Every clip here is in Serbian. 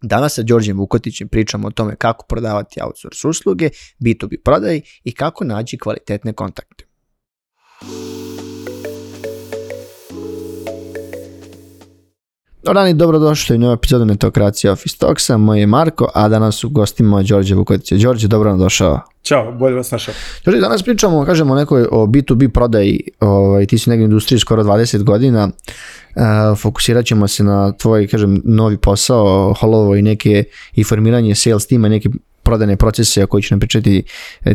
Danas sa Đorđem Vukotićem pričamo o tome kako prodavati outsource usluge, B2B prodaj i kako naći kvalitetne kontakte. Dobar dobrodošli u novu epizodu Netokracija Office Talksa. Moj je Marko, a danas u gostima Đorđe Vukotića. Đorđe, dobro nam došao. Ćao, bolje vas našao. Đorđe, danas pričamo, kažemo, o B2B prodaji. Ti si negdje u industriji skoro 20 godina. Fokusirat ćemo se na tvoj, novi posao, holovo i formiranje sales tima, neke prodajne procese o koji ću nam pričati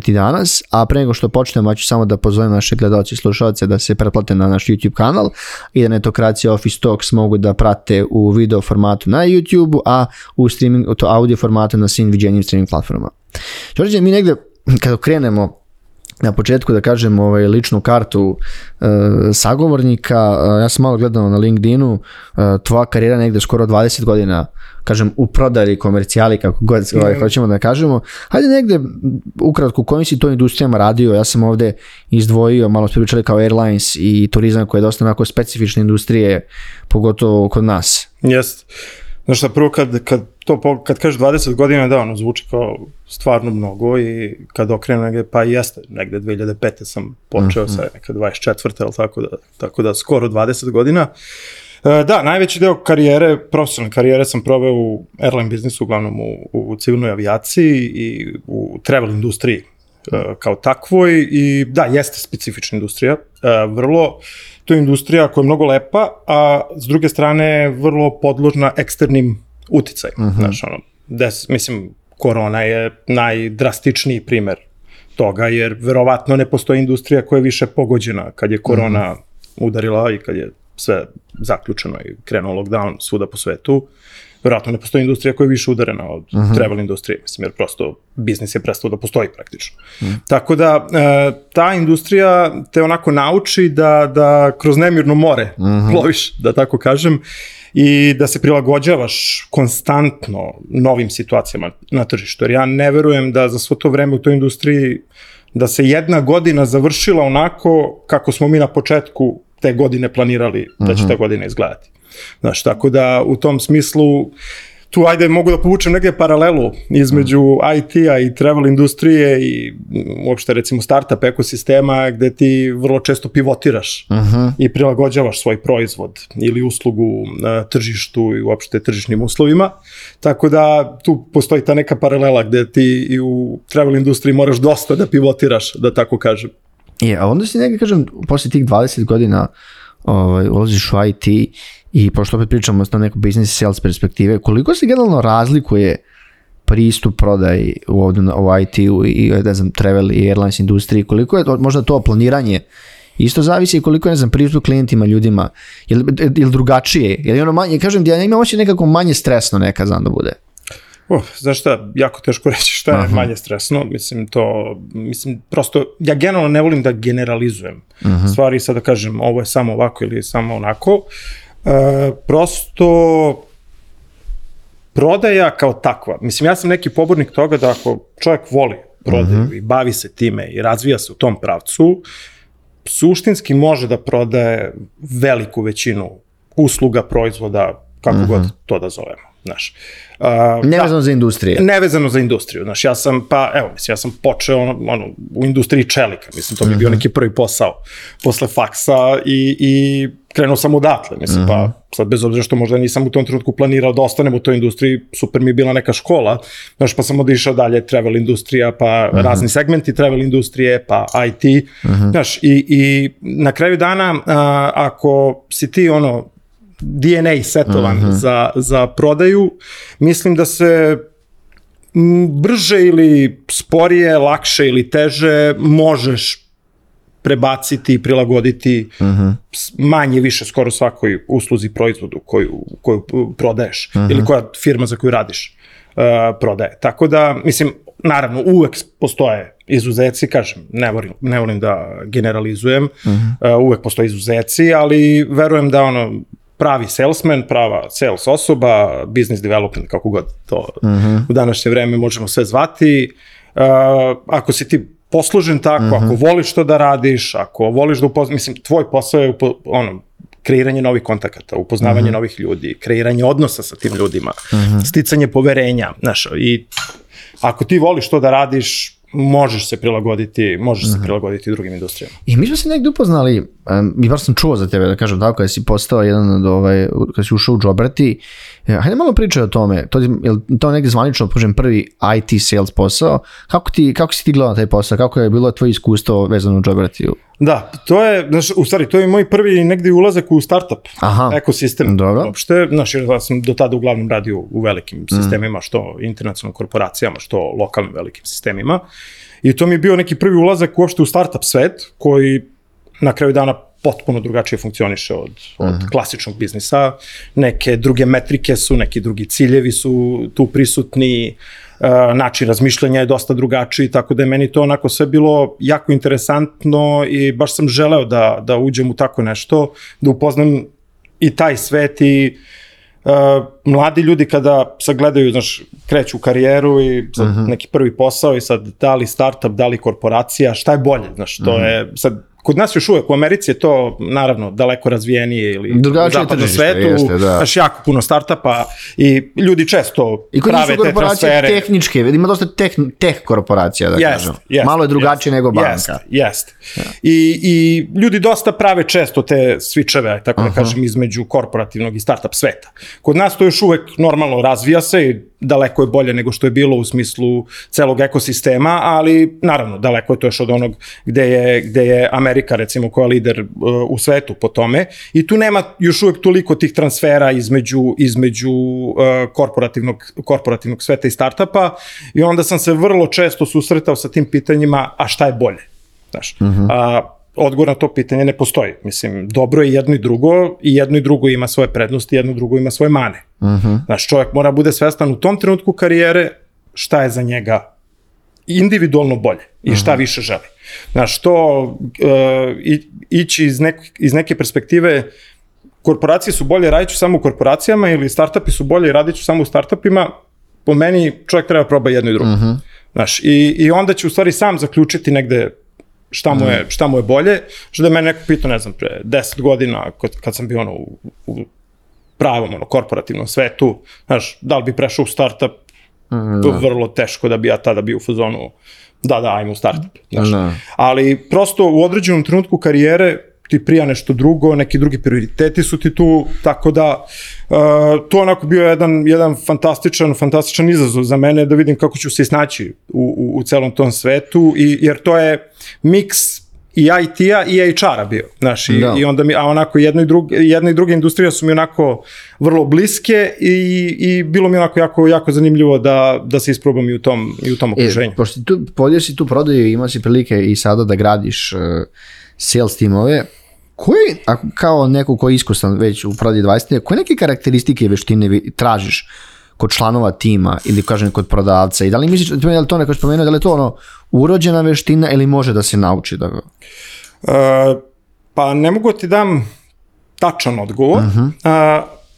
ti danas, a pre nego što počnemo, ja ću samo da pozovem naše gledalce i slušalce da se pretplate na naš YouTube kanal i da Netokracija Office Talks mogu da prate u video formatu na YouTube, a u streaming, to audio formatu na svim viđenjim streaming platformama. Đorđe, mi negde, kada krenemo na početku da kažem ličnu kartu sagovornika, ja sam malo gledao na LinkedInu, tvoja karijera negde skoro 20 godina, kažem, u prodaji, komercijali, kako god hoćemo da kažemo. Hajde negde, ukratko, u kojim si to industrijama radio? Ja sam ovde izdvojio, malo smo pričali kao airlines i turizam, koje je dosta onako specifične industrije, pogotovo kod nas. Jeste. Znaš šta, prvo kad kažeš 20 godina, da, ono zvuči kao stvarno mnogo i kad okrenu negde, pa jeste, negde 2005. sam počeo sa neka 24. ali tako da skoro 20 godina. Da, najveći deo karijere, profesionalne karijere sam proveo u airline biznisu, uglavnom u civilnoj avijaciji i u travel industriji kao takvoj i da, jeste specifična industrija, vrlo, to je industrija koja je mnogo lepa, a s druge strane vrlo podložna eksternim uticajima. Znaš, mislim, korona je najdrastičniji primer toga, jer verovatno ne postoji industrija koja je više pogođena kad je korona udarila i kad je sve zaključeno i krenuo lockdown svuda po svetu. Verovatno ne postoji industrija koja je više udarena od travel industrije, mislim, jer prosto biznis je prestao da postoji praktično. Tako da, ta industrija te onako nauči da kroz nemirno more ploviš, da tako kažem, i da se prilagođavaš konstantno novim situacijama na tržištu. Jer ja ne verujem da za svo to vreme u toj industriji da se jedna godina završila onako kako smo mi na početku te godine planirali da će ta godina izgledati. Znaš, tako da u tom smislu tu ajde mogu da povučem negdje paralelu između IT-a i travel industrije i uopšte recimo startup ekosistema gde ti vrlo često pivotiraš i prilagođavaš svoj proizvod ili uslugu na tržištu i uopšte tržišnim uslovima. Tako da tu postoji ta neka paralela gde ti i u travel industriji moraš dosta da pivotiraš, da tako kažem. A onda si nekaj, kažem, posle tih 20 godina ulaziš u IT i pošto opet pričamo na neku business sales perspektive, koliko se generalno razlikuje pristup prodaji u IT-u i travel i airlines industriji, koliko je možda to planiranje isto zavisi i koliko je pristup klijentima, ljudima, je li drugačije, je li ono manje, kažem, ja imam oči nekako manje stresno nekad znam da bude. Znaš šta, jako teško reći šta je manje stresno, mislim, prosto, ja generalno ne volim da generalizujem stvari, sad da kažem ovo je samo ovako ili samo onako, prosto prodaja kao takva, mislim, ja sam neki pobornik toga da ako čovjek voli prodaju i bavi se time i razvija se u tom pravcu, suštinski može da prodaje veliku većinu usluga, proizvoda, kako god to da zovemo. Nevezano za industriju. Nevezano za industriju. Ja sam počeo u industriji čelika. Mislim, to mi je bio neki prvi posao posle faksa i krenuo sam odatle. Mislim, pa sad bez obzira što možda nisam u tom trenutku planirao da ostanem u toj industriji, super mi je bila neka škola, pa sam odišao dalje travel industrija, pa razni segmenti travel industrije, pa IT. I na kraju dana, ako si ti DNA setovan za prodaju, mislim da se brže ili sporije, lakše ili teže možeš prebaciti i prilagoditi manje više skoro svakoj usluzi, proizvodu koju prodaješ ili koja firma za koju radiš prodaje. Tako da, mislim, naravno, uvek postoje izuzeci, kažem, ne volim da generalizujem, uvek postoje izuzeci, ali verujem da pravi salesman, prava sales osoba, business development, kako god to u današnje vreme možemo sve zvati. Ako si ti poslužen tako, ako voliš to da radiš, ako voliš da mislim, tvoj posao je kreiranje novih kontakata, upoznavanje novih ljudi, kreiranje odnosa sa tim ljudima, sticanje poverenja, znaš, i ako ti voliš to da radiš, možeš se prilagoditi drugim industrijama. I mi smo se negdje upoznali, i baš sam čuo za tebe, da kažem tako, kada si postao jedan od, kada si ušao u Joberti, hajde malo pričaj o tome, to negdje zvanično, kažem, prvi IT sales posao, kako si ti gledao na taj posao, kako je bilo tvoje iskustvo vezano u Jobertiju? Da, to je, u stvari, to je moj prvi negdje ulazak u startup ekosistem. Uopšte, ja sam do tada uglavnom radio u velikim sistemima, što internacionalnim korporacijama, što lokalnim velikim sistemima. I to mi je bio neki prvi ulazak uopšte u startup svet, koji na kraju dana potpuno drugačije funkcioniše od klasičnog biznisa. Neke druge metrike su, neki drugi ciljevi su tu prisutni, način razmišljanja je dosta drugačiji, tako da je meni to onako sve bilo jako interesantno i baš sam želeo da uđem u tako nešto, da upoznam i taj svet i mladi ljudi kada sagledaju, znaš, kreću u karijeru i sad neki prvi posao i sad da li startup, da li korporacija, šta je bolje, znaš, to je sad. Kod nas još uvek, u Americi je to naravno daleko razvijenije ili u zapadnom svetu, znaš, jako puno startupa i ljudi često prave te transfere. I kod njih su korporacije tehničke, ima dosta teh korporacija, da kažem. Malo je drugačije nego banka. Jeste. I ljudi dosta prave često te switcheve, tako da kažem, između korporativnog i startup sveta. Kod nas to još uvek normalno razvija se i daleko je bolje nego što je bilo u smislu celog ekosistema, ali naravno daleko je to još od onog gde je Amerika, recimo, koja je lider u svetu po tome, i tu nema još uvek toliko tih transfera između korporativnog sveta i startupa, i onda sam se vrlo često susretao sa tim pitanjima, a šta je bolje? Znaš, odgovor na to pitanje ne postoji. Mislim, dobro je jedno i drugo ima svoje prednosti, jedno i drugo ima svoje mane. Znaš, čovjek mora bude svestan u tom trenutku karijere šta je za njega individualno bolje i šta više želi. Znaš, to ići iz neke perspektive, korporacije su bolje, radit ću samo u korporacijama, ili startupi su bolje i radit ću samo u startupima, po meni čovjek treba proba jedno i drugo. Znaš, i onda će u stvari sam zaključiti negde šta mu je bolje, što da je mene neko pitao, ne znam, pre 10 godina, kad sam bio u pravom korporativnom svetu, znaš, da li bi prešao u startup, vrlo teško da bi ja tada bio u fazonu, da, ajmo u startup. Ali prosto u određenom trenutku karijere ti prija nešto drugo, neki drugi prioriteti su ti tu, tako da to onako bio jedan fantastičan izazov za mene, da vidim kako ću se snaći u celom tom svetu, jer to je miks i IT-a i HR-a bio, znaš, i onda mi, a onako jedna i druga industrija su mi onako vrlo bliske i bilo mi onako jako zanimljivo da se isprobam i u tom okruženju. Pošto podio si tu prodaju, imao si prilike i sada da gradiš sales timove, kao neko ko je iskusan već u prodaji 20, koje neke karakteristike i veštine tražiš kod članova tima ili kažem kod prodavca, i da li misliš, da li to neko spomenuo, da li je to urođena veština ili može da se nauči? Pa ne mogu ti dam tačan odgovor.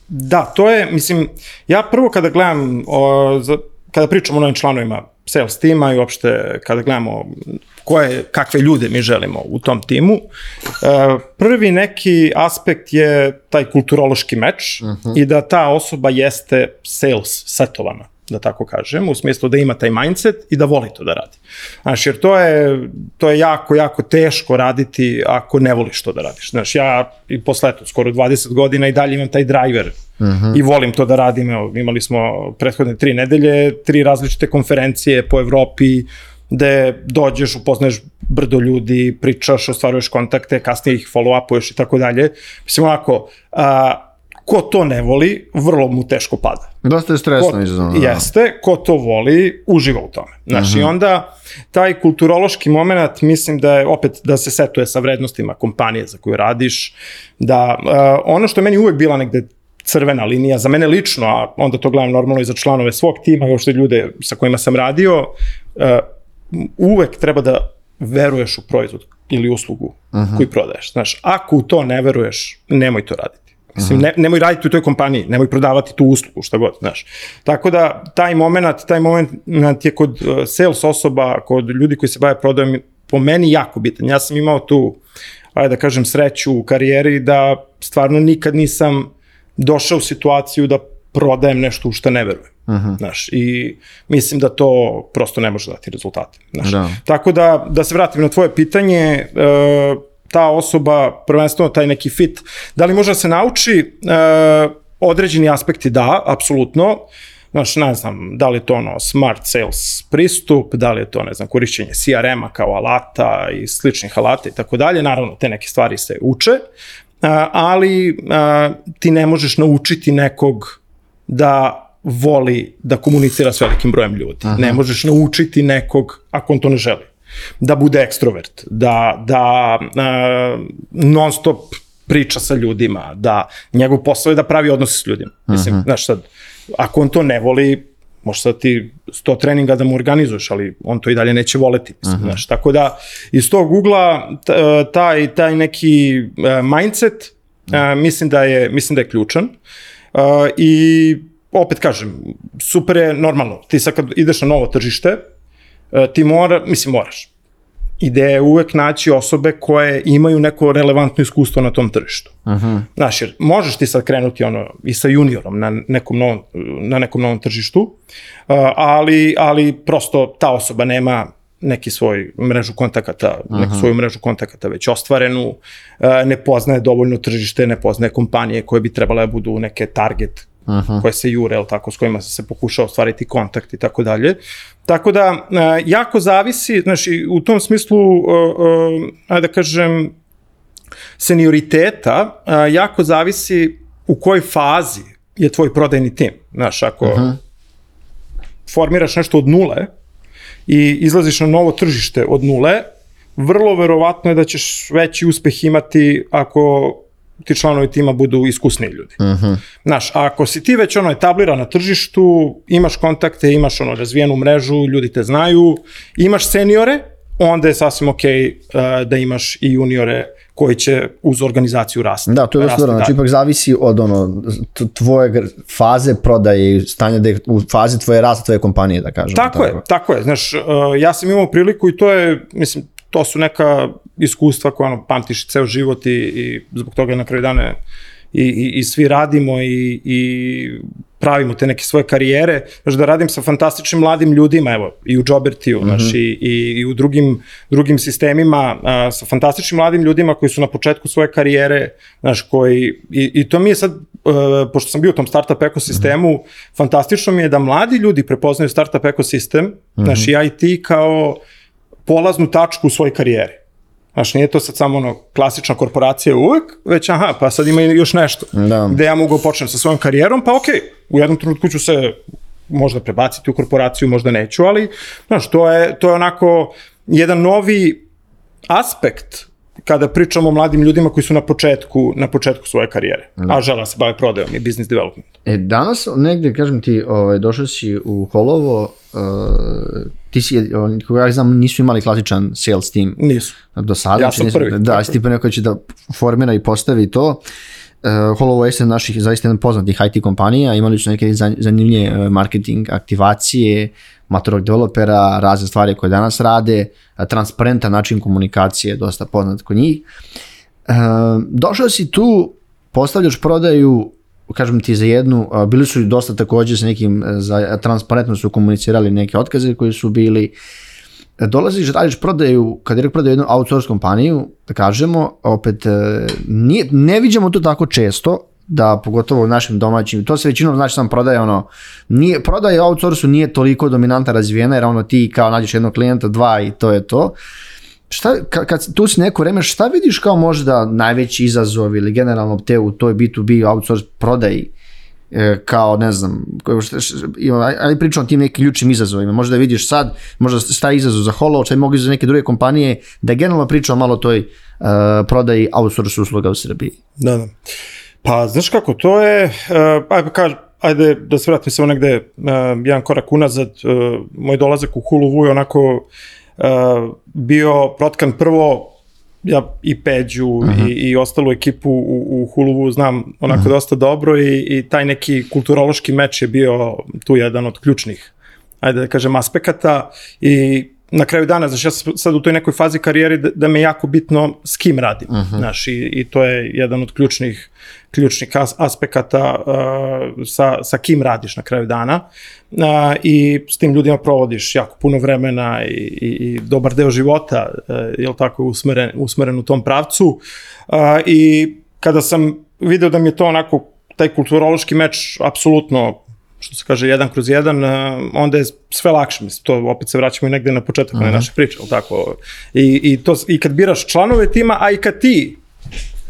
Da, to je, mislim, ja prvo kada gledam, kada pričam o novim članovima sales tima i uopšte kada gledamo kakve ljude mi želimo u tom timu, prvi neki aspekt je taj kulturološki meč i da ta osoba jeste sales setovana, da tako kažem, u smislu da ima taj mindset i da voli to da radi. Znaš, jer to je jako teško raditi ako ne voliš to da radiš. Znaš, ja i posle skoro 20 godina i dalje imam taj driver i volim to da radim. Evo, imali smo prethodne 3 nedelje, 3 različite konferencije po Evropi, gde dođeš, upoznaješ brdo ljudi, pričaš, ostvaruješ kontakte, kasnije ih follow-upuješ i tako dalje. Mislim, onako, ko to ne voli, vrlo mu teško pada. Dosta je stresno izazovno. Jeste, ko to voli, uživa u tome. Znaš, i onda taj kulturološki moment, mislim da je opet da se setuje sa vrednostima kompanije za koju radiš, da ono što je meni uvek bila negde crvena linija, za mene lično, a onda to gledam normalno i za članove svog tima, uopšte ljude sa kojima sam radio, uvek treba da veruješ u proizvod ili uslugu koju prodaješ. Znaš, ako u to ne veruješ, nemoj to raditi. Mislim, nemoj raditi u toj kompaniji, nemoj prodavati tu uslugu, šta god, znaš. Tako da, taj moment je kod sales osoba, kod ljudi koji se bave prodajom, po meni jako bitan. Ja sam imao tu ajde da kažem, sreću u karijeri da stvarno nikad nisam došao u situaciju da prodajem nešto u što ne verujem. Znaš, i mislim da to prosto ne može dati rezultate. Znaš. Tako da se vratim na tvoje pitanje, ta osoba, prvenstveno taj neki fit, da li može da se nauči? Određeni aspekti da, apsolutno. Znaš, ne znam, da li je to smart sales pristup, da li je to, ne znam, korišćenje CRM-a kao alata i sličnih alata i tako dalje. Naravno, te neke stvari se uče, ali ti ne možeš naučiti nekog da voli da komunicira s velikim brojem ljudi. Ne možeš naučiti nekog, ako on to ne želi, da bude ekstrovert, da non stop priča sa ljudima, da njegov posao je da pravi odnose s ljudima. Mislim, znaš sad, ako on to ne voli, možeš sad ti 100 treninga da mu organizuješ, ali on to i dalje neće voleti. Mislim, znaš, tako da iz tog ugla taj neki mindset mislim da je ključan. I opet kažem, super je normalno. Ti sad kad ideš na novo tržište, ti moraš. Ideja je uvek naći osobe koje imaju neko relevantno iskustvo na tom tržištu. Znaš, jer možeš ti sad krenuti i sa juniorom na nekom novom tržištu, ali prosto ta osoba nema neki svoj mrežu kontakata, neku svoju mrežu kontakata već ostvarenu, ne poznaje dovoljno tržište, ne poznaje kompanije koje bi trebale da budu neke target koje se jure, s kojima se pokušao ostvariti kontakt i tako dalje. Tako da, jako zavisi, znači, u tom smislu, ajde da kažem, senioriteta, jako zavisi u kojoj fazi je tvoj prodajni tim. Znaš, ako formiraš nešto od nule i izlaziš na novo tržište od nule, vrlo verovatno je da ćeš veći uspeh imati ako ti članovi tima budu iskusniji ljudi. Znaš, ako si ti već etabliran na tržištu, imaš kontakte, imaš razvijenu mrežu, ljudi te znaju, imaš seniore, onda je sasvim okej da imaš i juniore koji će uz organizaciju rasti. Da, to je dosta dobro, znači ipak zavisi od tvoje faze prodaje i stanja da je u fazi tvoje rasta tvoje kompanije, da kažem. Tako je. Znaš, ja sam imao priliku i to je, mislim, to su neka iskustva koja pamtiš ceo život i zbog toga na kraju dana i svi radimo i pravimo te neke svoje karijere. Znaš, da radim sa fantastičnim mladim ljudima, evo, i u Jobertiju, znaš, i u drugim sistemima, sa fantastičnim mladim ljudima koji su na početku svoje karijere, znaš, i to mi je sad, pošto sam bio u tom startup ekosistemu, fantastično mi je da mladi ljudi prepoznaju startup ekosistem, znaš, i IT kao polaznu tačku u svojoj karijeri. Znaš, nije to sad samo klasična korporacija uvek, već pa sad ima još nešto gde ja mogu počnem sa svojom karijerom, pa okej, u jednom trenutku ću se možda prebaciti u korporaciju, možda neću, ali znaš, to je onako jedan novi aspekt kada pričamo o mladim ljudima koji su na početku svoje karijere, a žele se bave prodajom i business development. Danas negde, kažem ti, došao si u Holovo, ti si, kako ja znam, nisu imali klasičan sales team. Nisu. Do sada. Ja sam prvi. Da, si ti pa neko će da formira i postavi to. Holovo je jedan naših zaista jedan poznatih IT kompanija, imali su neke zanimljive marketing aktivacije, maturog developera, razne stvari koje danas rade, transparentan način komunikacije, dosta poznat kod njih. Došao si tu, postavljaš prodaju, kažem ti za jednu, bili su dosta također sa nekim, transparentno su komunicirali neke otkaze koji su bili, dolaziš, radiš prodaju, kad je prodaju jednu outsource kompaniju, da kažemo, opet ne vidimo to tako često, da pogotovo u našim domaćim, to se većinom znači sam prodaje prodaje outsourcu nije toliko dominanta razvijena, jer ti kao nađeš jednog klijenta, dva i to je to. Kad tu si neko vreme, šta vidiš kao možda najveći izazov ili generalno te u toj B2B outsource prodaji, kao ne znam, ali pričam o tim nekim ključnim izazovima, možda vidiš sad, možda staje izazov za Holo, šta bi mogli za neke druge kompanije, da generalno pričam malo o toj prodaji outsource usluga u Srbiji. Da. Pa, znaš kako, to je, ajde da se vratim samo negde jedan korak unazad, moj dolazak u Huluvu je onako bio protkan prvo, ja i Peđu i ostalu ekipu u Huluvu znam onako dosta dobro i taj neki kulturološki meč je bio tu jedan od ključnih, ajde da kažem, aspekata i na kraju dana, znači ja sam sad u toj nekoj fazi karijere da me jako bitno s kim radim, znaš, i to je jedan od ključnih aspekata sa kim radiš na kraju dana i s tim ljudima provodiš jako puno vremena i dobar deo života, jel tako, usmeren u tom pravcu i kada sam video da mi je to onako, taj kulturološki meč apsolutno, što se kaže, 1/1, onda je sve lakše, mislim, to opet se vraćamo i negde na početak naše priče, ali tako, i kad biraš članove tima, a i kad ti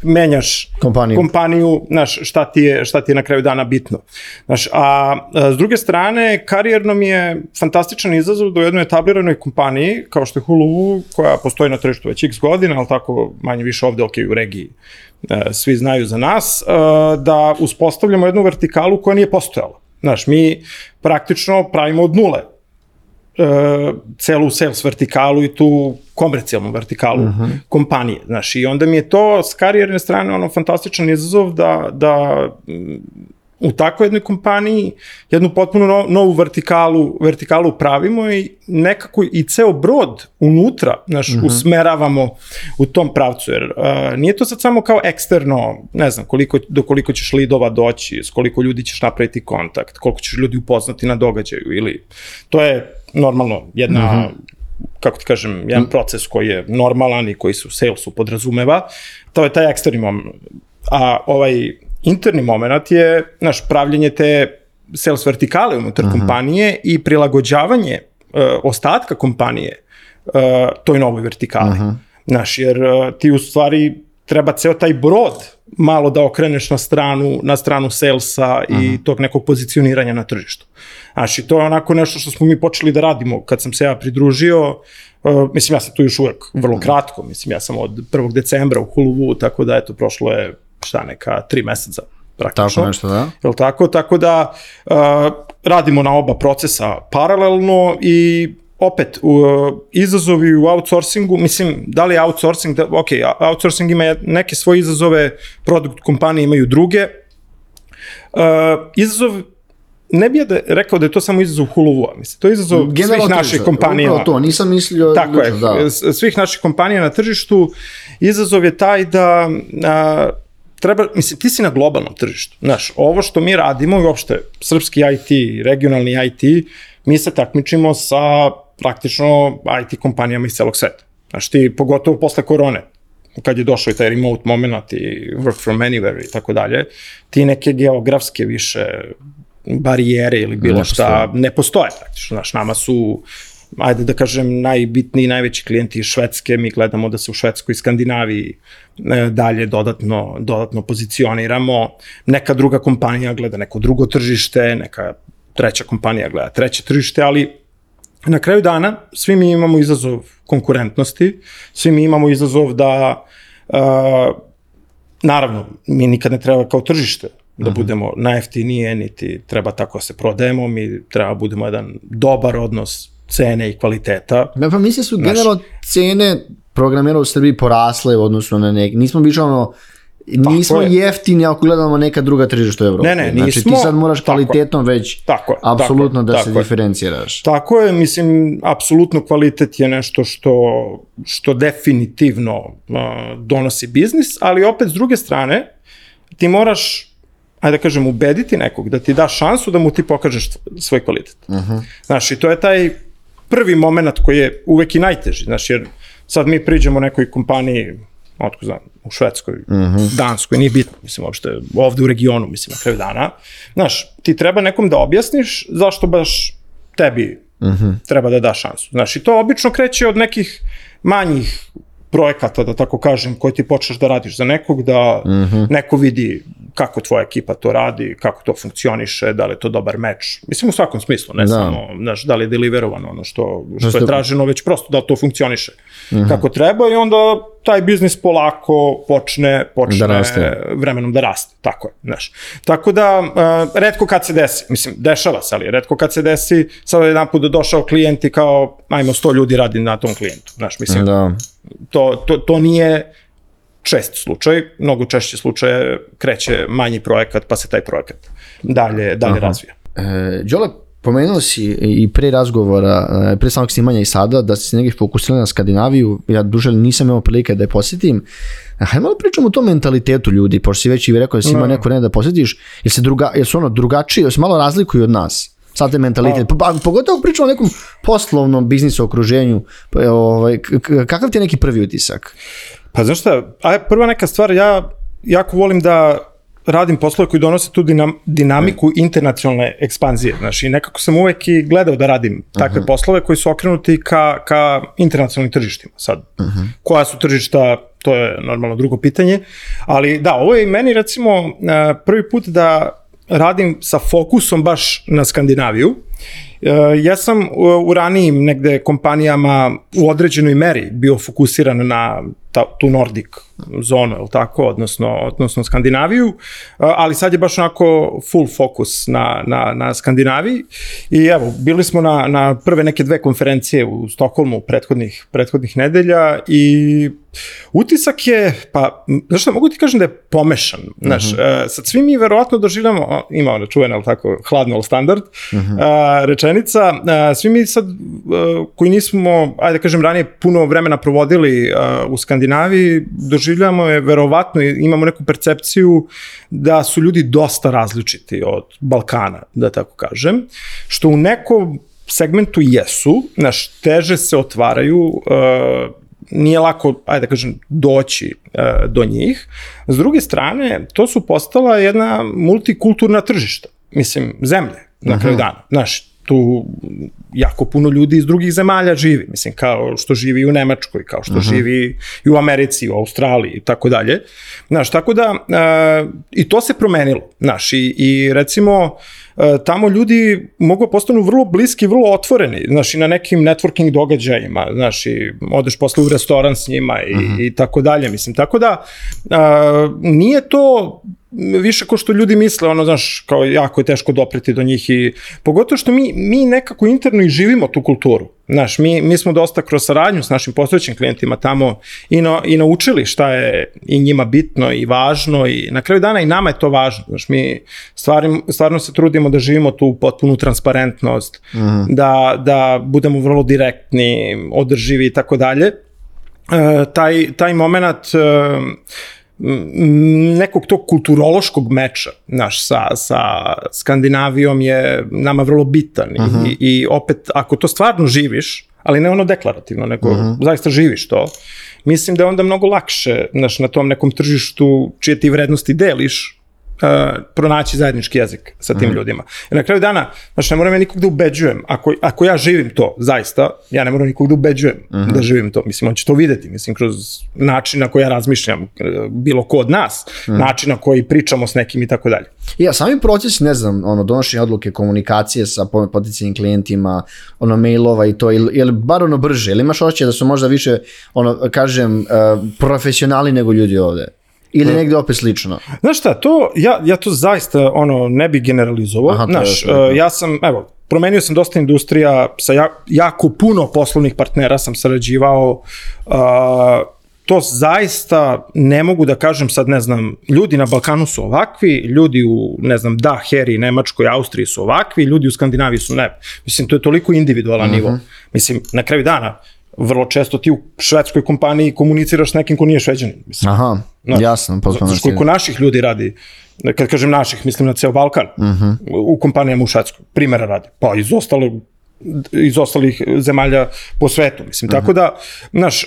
menjaš kompaniju, znaš, šta ti je na kraju dana bitno. Znaš, a s druge strane, karijerno mi je fantastičan izazov da u jednoj etabliranoj kompaniji, kao što je Hulu, koja postoji na tržištu već x godina, ali tako manje više ovde, u regiji, svi znaju za nas, da uspostavljamo jednu vertikalu koja nije postojala. Znaš, mi praktično pravimo od nule celu sales vertikalu i tu komercijalnu vertikalu kompanije. Znaš, i onda mi je to s karijerne strane fantastičan izazov da u takvoj jednoj kompaniji jednu potpuno novu vertikalu pravimo i nekako i ceo brod unutra, znaš, usmeravamo u tom pravcu, jer nije to sad samo kao eksterno, ne znam, do koliko ćeš lidova doći, s koliko ljudi ćeš napraviti kontakt, koliko ćeš ljudi upoznati na događaju, ili to je normalno jedna, kako ti kažem, jedan proces koji je normalan i koji se u salesu podrazumeva, to je taj eksterni moment. A ovaj interni moment je, znaš, pravljenje te sales vertikale unutar kompanije i prilagođavanje ostatka kompanije toj novoj vertikali. Znaš, jer ti u stvari treba ceo taj brod malo da okreneš na stranu salesa i tog nekog pozicioniranja na tržištu. Znaš, i to je onako nešto što smo mi počeli da radimo kad sam se ja pridružio. Mislim, ja sam tu još uvek vrlo kratko, mislim, ja sam od 1. decembra u Hulu, tako da, eto, prošlo je neka 3 meseca praktično. Tako nešto, da. Jel tako? Tako da radimo na oba procesa paralelno i opet izazovi u outsourcingu, mislim, da li je outsourcing, outsourcing ima neke svoje izazove, produkt kompanije imaju druge. Izazov, ne bih rekao da je to samo izazov Hulu-a, mislim, to je izazov svih naših kompanija. Upravo to, nisam mislio... Tako je, svih naših kompanija na tržištu, izazov je taj da treba, mislim, ti si na globalnom tržištu. Znaš, ovo što mi radimo i uopšte srpski IT, regionalni IT, mi se takmičimo sa praktično IT kompanijama iz celog sveta. Znaš, ti pogotovo posle korone, kad je došao i taj remote moment i work from anywhere i tako dalje, ti neke geografske više barijere ili bilo šta ne postoje praktično. Znaš, nama su, ajde da kažem, najbitniji, najveći klijenti iz Švedske, mi gledamo da se u Švedskoj i Skandinaviji dalje dodatno pozicioniramo, neka druga kompanija gleda neko drugo tržište, neka treća kompanija gleda treće tržište, ali na kraju dana svi mi imamo izazov konkurentnosti, svi mi imamo izazov da, naravno, mi nikad ne treba kao tržište da budemo najjeftinije, niti treba tako se prodajemo, mi treba budemo jedan dobar odnos cene i kvaliteta. Pa misli su generalno cene programera u Srbiji porasle u odnosu na neki, nismo više nismo jeftini ako gledamo neka druga tržišta u Evropi. Ne, nismo. Znači ti sad moraš kvalitetom već apsolutno da se diferenciraš. Tako je, mislim, apsolutno kvalitet je nešto što definitivno donosi biznis, ali opet s druge strane ti moraš, ajde da kažem, ubediti nekog, da ti da šansu da mu ti pokažeš svoj kvalitet. Znaš, i to je taj prvi moment koji je uvek i najteži, znaš, jer sad mi priđemo nekoj kompaniji, otko znam, u Švedskoj, Danskoj, nije bitno, mislim, uopšte ovde u regionu, mislim, na kraju dana. Znaš, ti treba nekom da objasniš zašto baš tebi treba da da šansu. Znaš, i to obično kreće od nekih manjih projekata, da tako kažem, koje ti počneš da radiš za nekog, da neko vidi kako tvoja ekipa to radi, kako to funkcioniše, da li je to dobar meč. Mislim, u svakom smislu, ne samo, znaš, da li je deliverovano ono što je traženo, već prosto da to funkcioniše kako treba i onda taj biznis polako počne vremenom da raste. Tako je, znaš. Tako da, retko kad se desi, mislim, dešava se, ali retko kad se desi, sad jedan put došao klijent i kao, ajmo 100 ljudi radi na tom klijentu, znaš, mislim, to nije čest slučaj, mnogo češće slučaje kreće manji projekat, pa se taj projekat dalje razvija. Đole, pomenuo si i pre razgovora, pre samog snimanja i sada, da si negdje fokusirali na Skandinaviju, ja duže nisam imao prilike da je posjetim. Hajde malo pričamo o tom mentalitetu ljudi, pošto si već i rekao da si imao neko da posjetiš, jer su drugačiji, jer se malo razlikuju od nas. Sad te mentalitet, pogotovo pričamo o nekom poslovnom biznisu okruženju, kakav ti je neki prvi utisak? Pa znaš šta, prva neka stvar, ja jako volim da radim poslove koji donose tu dinamiku internacionalne ekspanzije, znaš, i nekako sam uvek i gledao da radim takve poslove koji su okrenuti ka internacionalnim tržištima. Sad, koja su tržišta, to je normalno drugo pitanje, ali da, ovo je i meni recimo prvi put da radim sa fokusom baš na Skandinaviju. Ja sam u ranijim negde kompanijama u određenoj meri bio fokusiran na tu Nordic zonu, ili tako, odnosno Skandinaviju, ali sad je baš onako full fokus na Skandinaviji i evo, bili smo na prve neke 2 konferencije u Stokholmu prethodnih nedelja i utisak je, pa, znaš šta, mogu ti kažem da je pomešan, znaš, sad svi mi verovatno doživljamo, ima ona čuvena, ali tako, hladno, ali standard, rečenica, svi mi sad, koji nismo, ajde da kažem, ranije puno vremena provodili u Skandinaviji, doživljamo je verovatno, imamo neku percepciju da su ljudi dosta različiti od Balkana, da tako kažem, što u nekom segmentu jesu, znaš, teže se otvaraju, nije lako, ajde da kažem, doći do njih. S druge strane, to su postala jedna multikulturna tržišta, mislim, zemlje, na kraju dana. Znaš, tu jako puno ljudi iz drugih zemalja živi, mislim, kao što živi u Nemačkoj, kao što živi i u Americi, u Australiji i tako dalje. Znaš, tako da, i to se promenilo, znaš, i recimo, tamo ljudi mogu postanu vrlo bliski, vrlo otvoreni, znaš, i na nekim networking događajima, znaš, i odeš posle u restoran s njima i tako dalje, mislim, tako da nije to više ko što ljudi misle, ono, znaš, kao jako je teško dopreti do njih i pogotovo što mi nekako interno i živimo tu kulturu, znaš, mi smo dosta kroz saradnju s našim postojećim klijentima tamo i naučili šta je i njima bitno i važno i na kraju dana i nama je to važno, znaš, mi stvarno se trudimo da živimo tu potpunu transparentnost, da budemo vrlo direktni, održivi i tako dalje. Taj moment nekog tog kulturološkog meča, znaš, sa Skandinavijom je nama vrlo bitan i opet, ako to stvarno živiš, ali ne ono deklarativno, nego zaista živiš to, mislim da je onda mnogo lakše, znaš, na tom nekom tržištu čije ti vrednosti deliš, pronaći zajednički jezik sa tim ljudima. I na kraju dana, znači, ne moram ja nikog da ubeđujem, ako ja živim to, zaista, ja ne moram nikog da ubeđujem da živim to, mislim, on će to videti, mislim, kroz način na koji ja razmišljam, bilo ko od nas, način na koji pričamo s nekim i tako dalje. Ja, sami proces, ne znam, donošenje odluke, komunikacije sa potencijalnim klijentima, mailova i to, ili bar brže, ili imaš osjećaj da su možda više, kažem, profesionalni nego ljudi ovde? Ili negde opet slično? Znaš šta, ja to zaista ne bi generalizovao. Znaš, ja sam, evo, promenio sam dosta industrija, sa jako puno poslovnih partnera sam sarađivao, to zaista ne mogu da kažem sad, ne znam, ljudi na Balkanu su ovakvi, ljudi u, ne znam, Heri, Nemačkoj, Austriji su ovakvi, ljudi u Skandinaviji su ne. Mislim, to je toliko individualan nivo. Mislim, na kraju dana, vrlo često ti u švedskoj kompaniji komuniciraš s nekim ko nije Šveđanin. Aha, jasno. Znaš koliko naših ljudi radi, kad kažem naših, mislim na ceo Balkan, u kompanijama u Švedskoj, primjera radi, pa iz ostalih zemalja po svetu, mislim, tako da, znaš,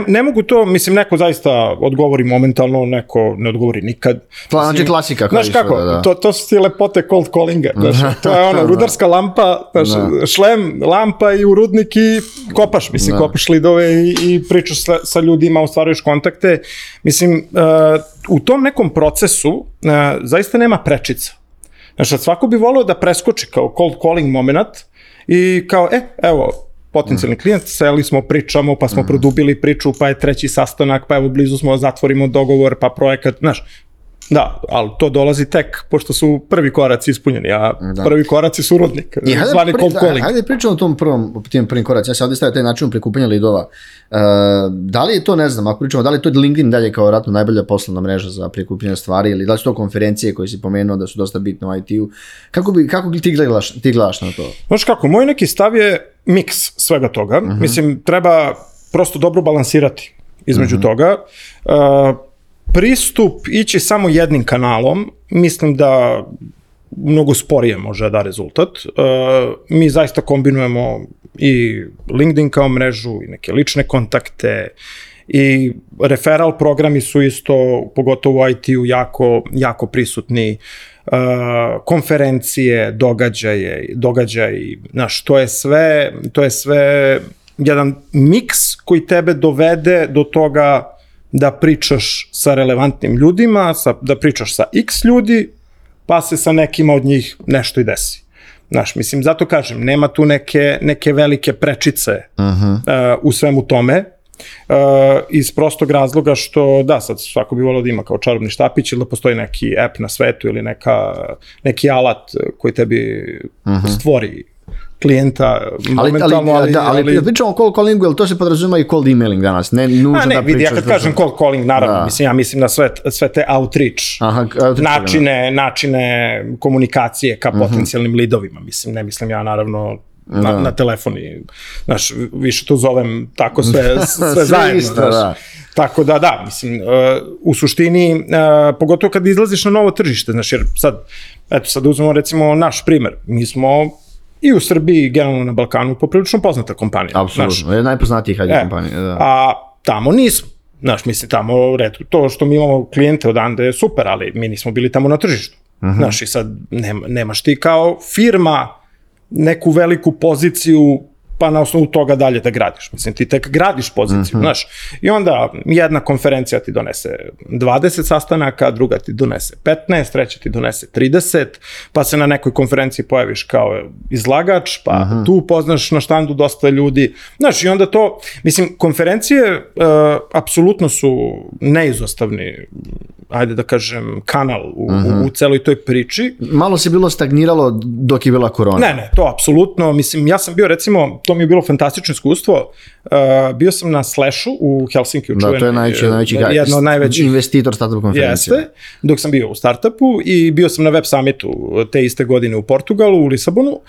ne mogu to, mislim, neko zaista odgovori momentalno, neko ne odgovori nikad. Znači klasika. Znaš kako, to su ti lepote cold callinga, znaš, to je rudarska lampa, šlem, lampa i u rudnik i kopaš, mislim, kopaš lidove i pričaš sa ljudima, ostvaruješ kontakte, mislim, u tom nekom procesu zaista nema prečica. Znaš, svako bi volio da preskoči kao cold calling moment i kao, evo, potencijalni klijent, seli smo, pričamo, pa smo produbili priču, pa je 3. sastanak, pa evo blizu smo, zatvorimo dogovor, pa projekat, znaš, Da, ali to dolazi tek, pošto su prvi koraci ispunjeni, a prvi koraci su rudnik, zvani cold calling. Hajde pričamo o tim prvim koracima. Ja se ovdje stavio taj način prikupljanja lidova. Da li je to, ne znam, ako pričamo, da li je to LinkedIn dalje kao vratno najbolja poslovna mreža za prikupljanje stvari, ili da li su to konferencije koje si pomenuo da su dosta bitne u IT-u? Kako ti gledaš na to? Znaš kako, moj neki stav je miks svega toga. Mislim, treba prosto dobro balansirati između toga. Pristup ići samo jednim kanalom, mislim da mnogo sporije može da rezultat. Mi zaista kombinujemo i LinkedIn kao mrežu, i neke lične kontakte, i referral programi su isto, pogotovo u IT-u, jako prisutni. Konferencije, događaji, znaš, to je sve jedan miks koji tebe dovede do toga da pričaš sa relevantnim ljudima, da pričaš sa x ljudi, pa se sa nekima od njih nešto i desi. Znaš, mislim, zato kažem, nema tu neke velike prečice u svemu tome, iz prostog razloga što, da, sad svako bi volio da ima kao čarobni štapić ili da postoji neki app na svetu ili neki alat koji tebi stvori klijenta momentalno, ali pričamo o cold callingu, ali to se podrazuma i cold emailing danas, ne nužno da pričaš. Ja kad kažem cold calling, naravno, ja mislim na sve te outreach, načine komunikacije ka potencijalnim lidovima, mislim, ne mislim ja naravno na telefoni, znaš, više to zovem tako sve zajedno, znaš. Tako da, mislim, u suštini, pogotovo kad izlaziš na novo tržište, znaš, jer sad uzmemo recimo naš primer, mi smo i u Srbiji, generalno na Balkanu, poprilično poznata kompanija. Apsolutno, je najpoznatiji kad je kompanija. Da. A tamo nismo. Znaš, mislim, tamo, to što mi imamo klijente odande je super, ali mi nismo bili tamo na tržištu. Znaš, i sad nemaš ti kao firma neku veliku poziciju, pa na osnovu toga dalje da gradiš. Mislim, ti tek gradiš poziciju, znaš. I onda jedna konferencija ti donese 20 sastanaka, druga ti donese 15, treća ti donese 30, pa se na nekoj konferenciji pojaviš kao izlagač, pa tu upoznaš na štandu dosta ljudi. Znaš, i onda to, mislim, konferencije apsolutno su neizostavni, ajde da kažem, kanal u celoj toj priči. Malo se bilo stagniralo dok je bila korona. Ne, to apsolutno. Mislim, ja sam bio, recimo, to mi je bilo fantastično iskustvo. Bio sam na Slashu u Helsinkiju. Da, to je najveći investitor startup konferencije. Jeste, dok sam bio u startupu i bio sam na Web Summitu te iste godine u Portugalu, u Lisabonu.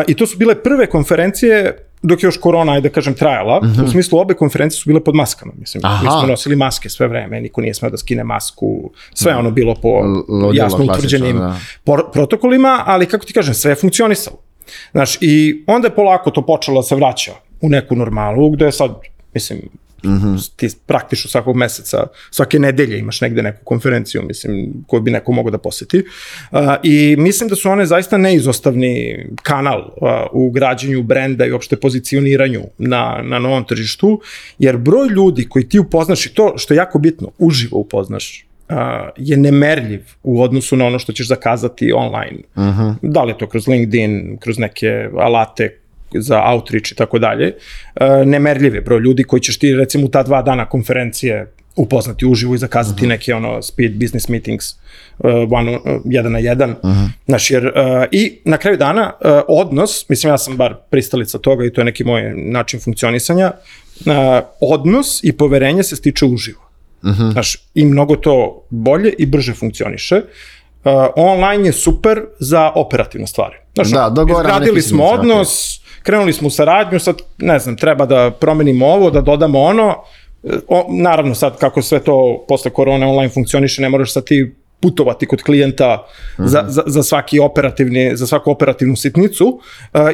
I to su bile prve konferencije dok je još korona, ajde da kažem, trajala. U smislu, obe konferencije su bile pod maskama. Mislim, mi smo nosili maske sve vreme, niko nije smeo da skine masku, sve ono bilo po jasno utvrđenim protokolima, ali kako ti kažem, sve je funkcionisalo. Znaš, i onda je polako to počelo da se vraća u neku normalu, gde sad, mislim, ti praktično svakog meseca, svake nedelje imaš negde neku konferenciju, mislim, koju bi neko mogao da poseti. I mislim da su one zaista neizostavni kanal u građenju brenda i uopšte pozicioniranju na novom tržištu, jer broj ljudi koji ti upoznaš, i to što je jako bitno, uživo upoznaš, je nemerljiv u odnosu na ono što ćeš zakazati online. Da li je to kroz LinkedIn, kroz neke alate za outreach i tako dalje. Nemerljiv je broj ljudi koji ćeš ti recimo u ta 2 dana konferencije upoznati uživo i zakazati neke speed business meetings 1 na 1. Znaš, jer i na kraju dana odnos, mislim ja sam bar pristalica toga i to je neki moj način funkcionisanja, odnos i poverenje se stiče uživo. Znaš, i mnogo to bolje i brže funkcioniše. Online je super za operativne stvari. Znaš, izgradili smo odnos, krenuli smo u saradnju, sad, ne znam, treba da promenimo ovo, da dodamo ono. Naravno, sad, kako sve to posle korone online funkcioniše, ne moraš sad ti putovati kod klijenta za svaku operativnu sitnicu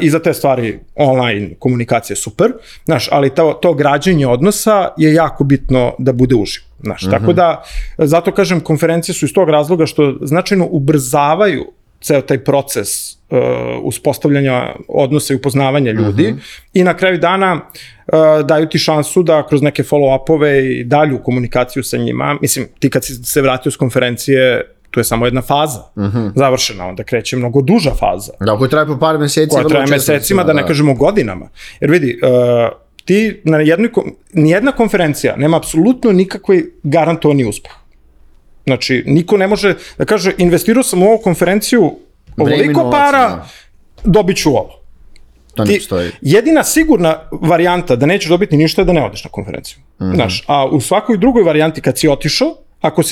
i za te stvari online komunikacija je super, znaš, ali to građenje odnosa je jako bitno da bude uživo, znaš, tako da, zato kažem, konferencije su iz tog razloga što značajno ubrzavaju ceo taj proces uspostavljanja odnosa i upoznavanja ljudi i na kraju dana daju ti šansu da kroz neke follow-upove i dalju komunikaciju sa njima, mislim, ti kad si se vratio s konferencije, to je samo jedna faza završena, onda kreće mnogo duža faza. Da, koja traje po par meseci. Koja traje mesecima, da ne kažemo godinama. Jer vidi, ti nijedna konferencija nema apsolutno nikakvi garantovani uspeh. Znači, niko ne može da kaže, investirao sam u ovu konferenciju ovoliko para, dobit ću ovo. To ne postoji. Jedina sigurna varijanta da nećeš dobiti ništa je da ne odeš na konferenciju. Znaš, a u svakoj drugoj varijanti kad si otišao, ako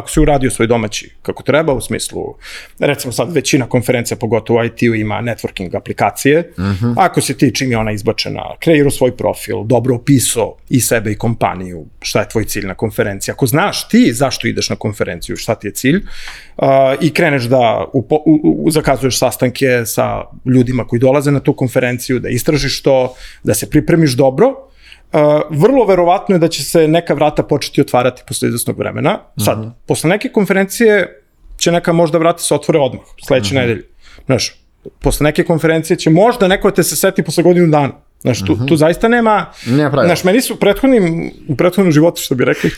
si uradio svoj domaći kako treba, u smislu, recimo sad većina konferencija, pogotovo u IT-u, ima networking aplikacije, ako si ti, čim je ona izbačena, kreirao svoj profil, dobro opisao i sebe i kompaniju, šta je tvoj cilj na konferenciji, ako znaš ti zašto ideš na konferenciju, šta ti je cilj, i kreneš da zakazuješ sastanke sa ljudima koji dolaze na tu konferenciju, da istražiš to, da se pripremiš dobro, vrlo verovatno je da će se neka vrata početi otvarati posle izvesnog vremena. Sad, posle neke konferencije će neka možda vrata se otvore odmah, sledeće nedelje. Znaš, posle neke konferencije će možda neko te se seti posle godinu dana. Znaš, tu zaista nema... Znaš, meni su u prethodnom životu, što bi rekli,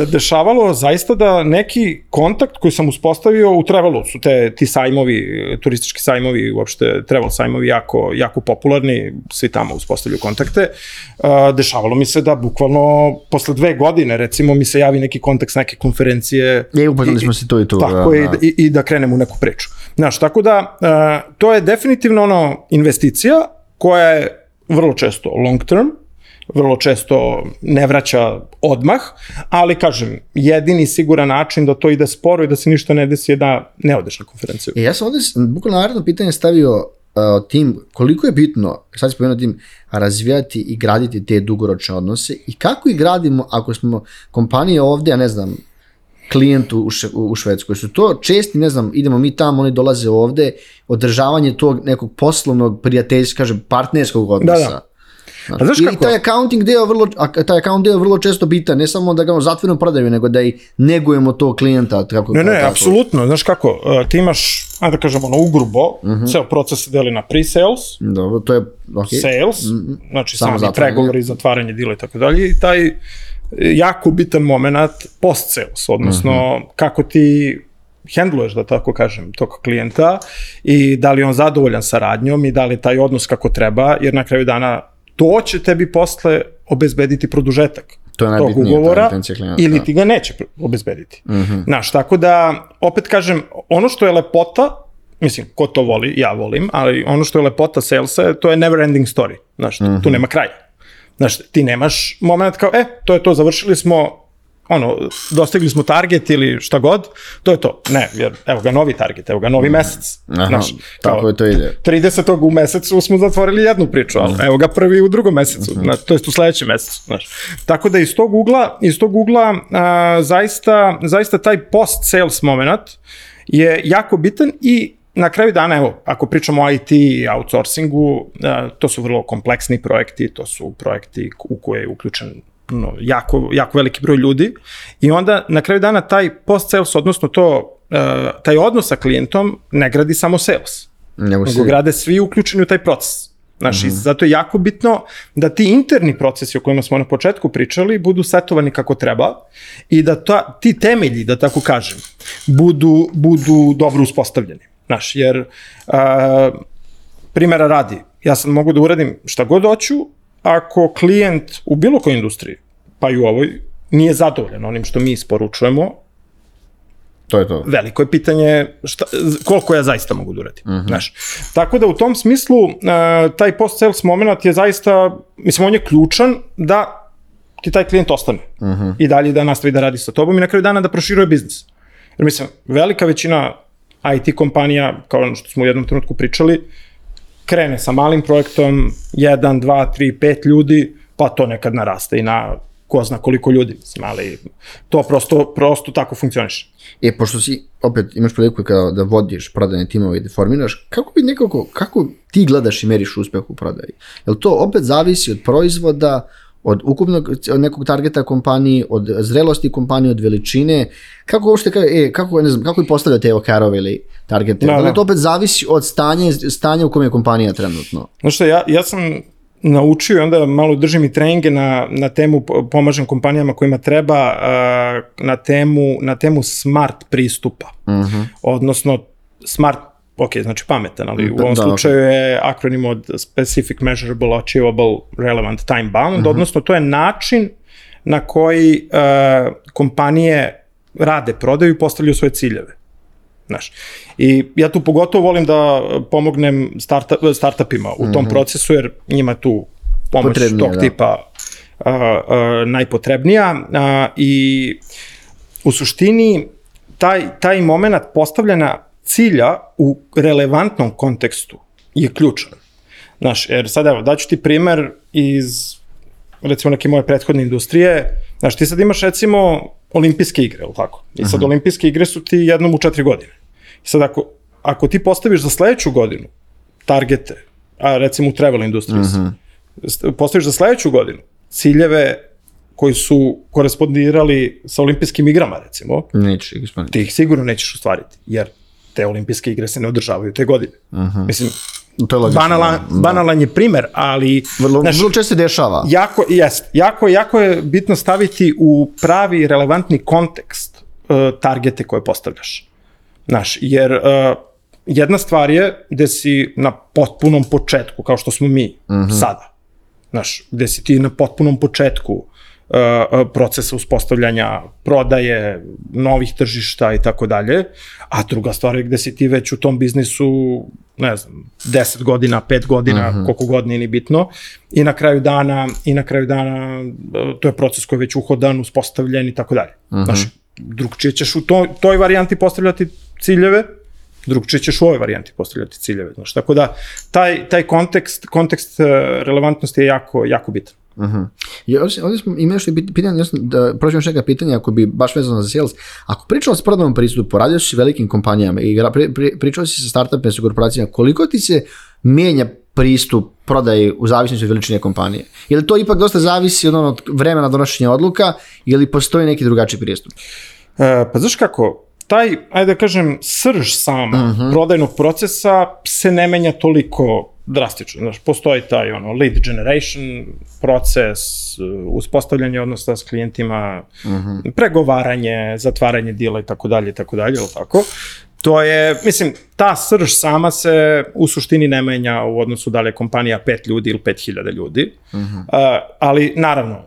dešavalo zaista da neki kontakt koji sam uspostavio u Travelu, su ti sajmovi, turistički sajmovi, uopšte travel sajmovi jako popularni, svi tamo uspostavljaju kontakte. Dešavalo mi se da bukvalno posle 2 godine, recimo, mi se javi neki kontakt s neke konferencije. Upoznali smo se to i tu. Tako, i da krenemo u neku priču. Znaš, tako da, to je definitivno investicija koja je vrlo često long term, vrlo često ne vraća odmah, ali kažem, jedini siguran način da to ide sporo i da se ništa ne desi je da ne odeš na konferenciju. Ja sam ovde bukvalno naredno pitanje stavio tim, koliko je bitno, sad se pomenuo tim, razvijati i graditi te dugoročne odnose i kako ih gradimo ako smo kompanije ovde, ja ne znam, klijentu u Švedskoj. Su to česti, ne znam, idemo mi tamo, oni dolaze ovde, održavanje tog nekog poslovnog, prijateljskog, kažem, partnerskog odnosa. Da. A znaš kako? I taj account deo vrlo često bitan, ne samo da ga zatvorimo prodaju, nego da i negujemo tog klijenta. Ne, apsolutno. Znaš kako, ti imaš, ajde da kažemo, ugrubo, ceo proces se deli na pre-sales, dobro, to je, okay. Sales, znači sami pregovori, zatvaranje dila i tako dalje, i taj jako bitan moment post-sales, odnosno kako ti handluješ, da tako kažem, tog klijenta i da li on zadovoljan saradnjom i da li taj odnos kako treba, jer na kraju dana to će tebi posle obezbediti produžetak tog ugovora ili ti ga neće obezbediti. Znaš, tako da, opet kažem, ono što je lepota, mislim, ko to voli, ja volim, ali ono što je lepota salesa, to je never ending story. Znaš, tu nema kraja. Znaš, ti nemaš moment kao, to je to, završili smo, dostigli smo target ili šta god, to je to. Ne, jer evo ga novi target, evo ga novi mesec. Znaš, tako je to ide. 30. u mesecu smo zatvorili jednu priču, ali evo ga prvi u drugom mesecu, to jest u sledećem mesecu. Znaš. Tako da iz tog ugla zaista taj post-sales moment je jako bitan i na kraju dana, evo, ako pričamo o IT i outsourcingu, to su vrlo kompleksni projekti, to su projekti u koje je uključen jako veliki broj ljudi i onda na kraju dana taj post-sales, odnosno taj odnos sa klijentom ne gradi samo sales, nego grade svi uključeni u taj proces. Znaš, i zato je jako bitno da ti interni procesi o kojima smo na početku pričali budu setovani kako treba i da ti temelji, da tako kažem, budu dobro uspostavljeni. Znaš, jer primjera radi, ja sad mogu da uradim šta god hoću, ako klijent u bilo kojoj industriji, pa i u ovoj, nije zadovoljan onim što mi isporučujemo, to je to. Veliko je pitanje koliko ja zaista mogu da uradim. Znaš. Tako da u tom smislu taj post-sales moment je zaista, mislim, on je ključan da ti taj klijent ostane i dalje da nastavi da radi sa tobom i na kraju dana da proširuje biznis. Jer mislim, velika većina IT kompanija, kao ono što smo u jednom trenutku pričali, krene sa malim projektom, 1, 2, 3, 5 ljudi, pa to nekad naraste i na ko zna koliko ljudi, mislim, ali to prosto tako funkcioniše. Pošto si, opet, imaš priliku da vodiš prodajne timove i da formiraš, kako ti gledaš i meriš uspeh u prodaji? Jel to opet zavisi od proizvoda, od ukupnog nekog targeta kompaniji, od zrelosti kompanije, od veličine, kako uopšte, kako i postavljaju te OKR-ove ili targete? Da li to opet zavisi od stanja u kojem je kompanija trenutno? Znaš što, ja sam naučio i onda malo držim i treninge na temu, pomažem kompanijama kojima treba, na temu smart pristupa. Odnosno, smart, znači pametan, ali u ovom slučaju je akronim od Specific, Measurable, Achievable, Relevant, Time Bound, odnosno to je način na koji kompanije rade prodaju i postavljaju svoje ciljeve. Znaš. I ja tu pogotovo volim da pomognem startupima u tom procesu, jer njima tu pomoć tog tipa najpotrebnija. I u suštini taj moment postavljanja cilja u relevantnom kontekstu je ključan. Znaš, jer sad evo, daću ti primer iz recimo neke moje prethodne industrije. Znaš, ti sad imaš recimo olimpijske igre, ili tako? I sad olimpijske igre su ti jednom u 4 godine. I sad ako ti postaviš za sledeću godinu targete, a recimo u travel industriji, postaviš za sledeću godinu ciljeve koji su korespondirali sa olimpijskim igrama, recimo, ti ih sigurno nećeš ostvariti, jer te olimpijske igre se ne održavaju te godine. Mislim, banalan je primer, ali vrlo često se dešava. Jako je bitno staviti u pravi relevantni kontekst targete koje postavljaš. Znaš, jer jedna stvar je gde si na potpunom početku, kao što smo mi sada. Znaš, gde si ti na potpunom početku procesa uspostavljanja prodaje, novih tržišta i tako dalje, a druga stvar je gde si ti već u tom biznisu, ne znam, 10 godina, 5 godina, koliko god nije ni bitno, i na kraju dana to je proces koji je već uhodan, uspostavljen i tako dalje. Znaš, drugčije ćeš u toj varijanti postavljati ciljeve, drugčije ćeš u ovoj varijanti postavljati ciljeve. Znaš, tako da taj kontekst relevantnosti je jako bitan. Ovdje smo imali što je pitanje, da prođemo još neka pitanja ako bi baš vezano za sales. Ako pričao si prodajnom pristupu, radio si velikim kompanijama i pričao si sa startupima, sa korporacijama, koliko ti se mijenja pristup prodaji u zavisnosti od veličine kompanije? Je li to ipak dosta zavisi od vremena donošenja odluka ili postoji neki drugačiji pristup? Pa znaš kako, ajde da kažem, srž sama prodajnog procesa se ne menja toliko drastično. Znaš, postoji taj lead generation proces, uspostavljanje odnosa s klijentima, pregovaranje, zatvaranje dila i tako dalje, ili tako. To je, mislim, ta srž sama se u suštini ne menja u odnosu da li je kompanija 5 ljudi ili 5000 ljudi, ali naravno,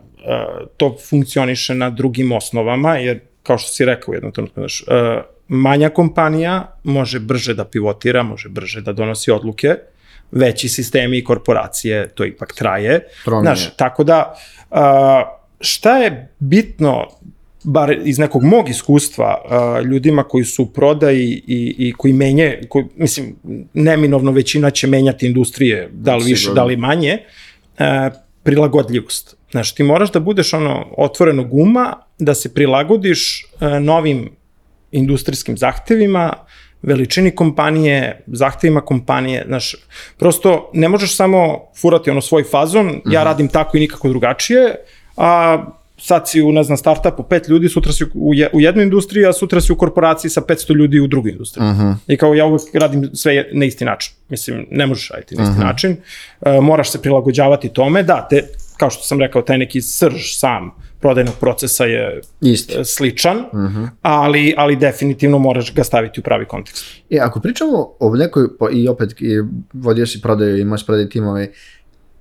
to funkcioniše na drugim osnovama, jer kao što si rekao u jednom trenutku, manja kompanija može brže da pivotira, može brže da donosi odluke, veći sistemi i korporacije, to ipak traje. Znaš, tako da, šta je bitno, bar iz nekog mog iskustva, ljudima koji su u prodaji i koji mislim, neminovno većina će menjati industrije, da li više, da li manje, prilagodljivost. Znaš, ti moraš da budeš otvorenog uma, da se prilagodiš novim industrijskim zahtevima, veličini kompanije, zahtevima kompanije, znaš, prosto ne možeš samo furati svoj fazon, ja radim tako i nikako drugačije, a sad si u, ne znam, startupu 5 ljudi, sutra si u jednoj industriji, a sutra si u korporaciji sa 500 ljudi u drugoj industriji. I kao ja uvek radim sve na isti način. Mislim, ne možeš raditi na isti način, moraš se prilagođavati tome, da, kao što sam rekao, taj neki srž sam prodajnog procesa je sličan, ali definitivno moraš ga staviti u pravi kontekst. Ako pričamo o nekoj, i opet vodio si prodaju, imaš prodaj timove,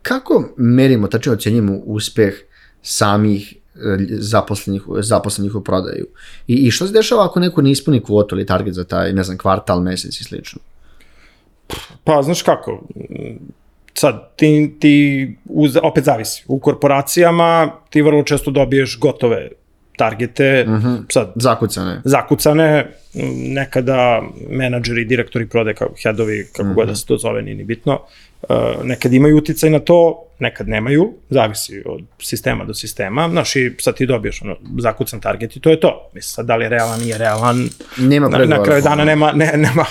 kako merimo, tačno ocenjujemo uspeh samih zaposlenih u prodaju? I što se dešava ako neko ne ispuni kvotu ili target za taj, ne znam, kvartal, mesec i slično? Pa, znaš kako, sad, ti opet zavisi. U korporacijama ti vrlo često dobiješ gotove targete. Sad, zakucane. Nekada menadžeri, direktori prodaje, headovi, kako god da se to zove, nije ni bitno. Nekad imaju uticaj na to, nekad nemaju. Zavisi od sistema do sistema. Znaš, i sad ti dobiješ zakucan target i to je to. Mislim, sad, da li je realan, nije realan. Na kraju dana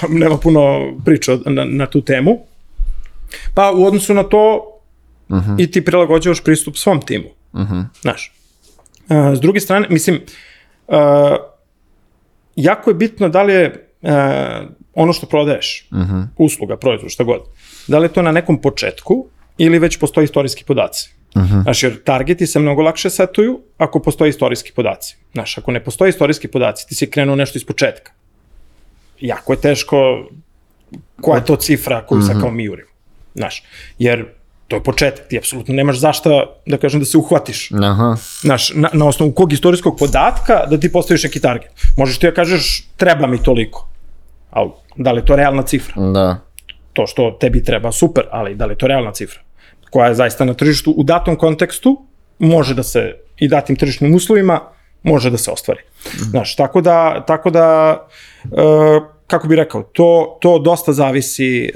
nema puno priča na tu temu. Pa u odnosu na to i ti prilagođavaš pristup svom timu. Znaš. S druge strane, mislim, jako je bitno da li je ono što prodaješ, usluga, proizvod, šta god, da li je to na nekom početku ili već postoji istorijski podaci. Znaš, jer targeti se mnogo lakše setuju ako postoji istorijski podaci. Znaš, ako ne postoji istorijski podaci, ti si krenuo nešto iz početka. Jako je teško koja je to cifra koju sad kao mi jurimo. Znaš, jer To je početak, ti apsolutno nemaš zašta, da kažem, da se uhvatiš. Aha. Znaš, na osnovu kog istorijskog podatka da ti postaviš neki target. Možeš ti da kažeš, treba mi toliko, ali da li je to realna cifra? Da. To što tebi treba, super, ali da li je to realna cifra? Koja je zaista na tržištu u datom kontekstu, može da se, i datim tržišnim uslovima, može da se ostvari. Znaš, tako da kako bih rekao, to dosta zavisi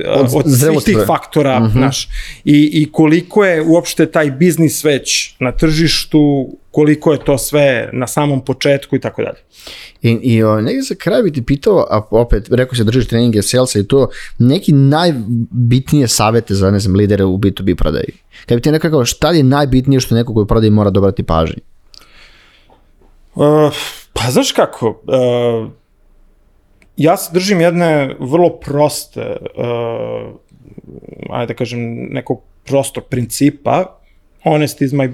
od svih tih faktora, znaš, i koliko je uopšte taj biznis već na tržištu, koliko je to sve na samom početku i tako dalje. I negdje za kraj bi ti pitao, a opet, rekao se držiš treninge salesa i to, neki najbitnije savete za, ne znam, lidere u B2B prodaji. Kad bi ti nekako, šta je najbitnije što neko koji prodaji mora dobrati pažnji? Pa znaš kako, ja se držim jedne vrlo proste, ajde da kažem, nekog prostog principa, honesty is my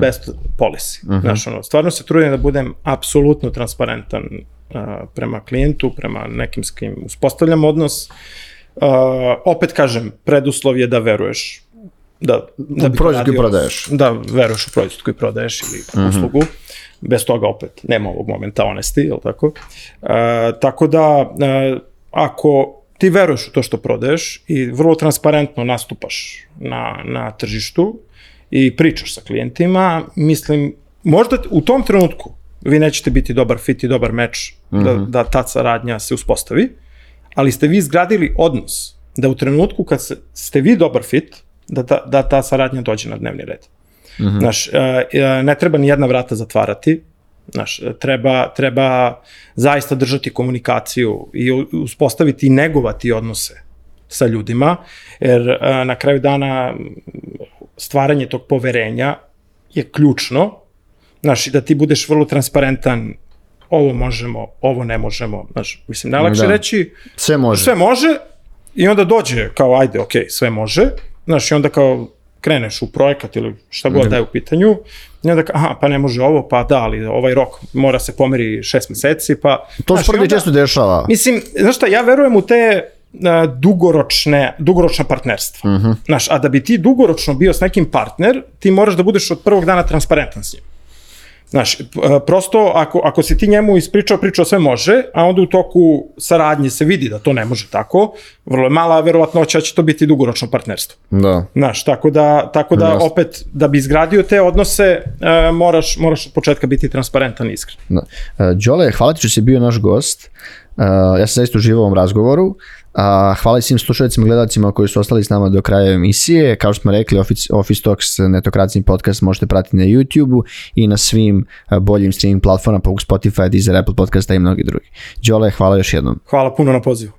best policy. Znaš, stvarno se trudim da budem apsolutno transparentan prema klijentu, prema nekim s kim uspostavljam odnos. Opet kažem, preduslov je da veruješ. Da proizvod koji prodaješ. Da veruješ u proizvod koji prodaješ ili uslugu. Bez toga opet nema ovog momenta honesty, je li tako? Tako da, ako ti veruješ u to što prodaješ i vrlo transparentno nastupaš na tržištu i pričaš sa klijentima, mislim, možda u tom trenutku vi nećete biti dobar fit i dobar meč da ta saradnja se uspostavi, ali ste vi izgradili odnos da u trenutku kad ste vi dobar fit, da ta saradnja dođe na dnevni red. Znaš, ne treba ni jedna vrata zatvarati, znaš, treba zaista držati komunikaciju i uspostaviti i negovati odnose sa ljudima, jer na kraju dana stvaranje tog poverenja je ključno, znaš, i da ti budeš vrlo transparentan, ovo možemo, ovo ne možemo, znaš, mislim, najlakše reći sve može i onda dođe kao, ajde, okej, sve može, znaš, i onda kao kreneš u projekat ili šta god da je u pitanju, i onda pa ne može ovo, pa da, ali ovaj rok mora se pomeri 6 meseci, pa... To se prvi često dešava. Mislim, znaš šta, ja verujem u te dugoročna partnerstva. Znaš, a da bi ti dugoročno bio s nekim partner, ti moraš da budeš od prvog dana transparentan s njim. Znaš, prosto ako si ti njemu pričao sve može, a onda u toku saradnje se vidi da to ne može tako, vrlo je mala verovatnoća će to biti dugoročno partnerstvo. Da. Znaš, tako da opet, da bi izgradio te odnose, moraš od početka biti transparentan i iskren. Đole, hvala ti što si bio naš gost. Ja sam zaista uživao u ovom razgovoru. Hvala svim slušalicima i gledalcima koji su ostali s nama do kraja emisije. Kao što smo rekli, Office Talks netokracijni podcast možete pratiti na YouTube-u i na svim boljim streaming platformama poput Spotify, Deezer, Apple Podcasta i mnogi drugi. Đole, hvala još jednom. Hvala puno na pozivu.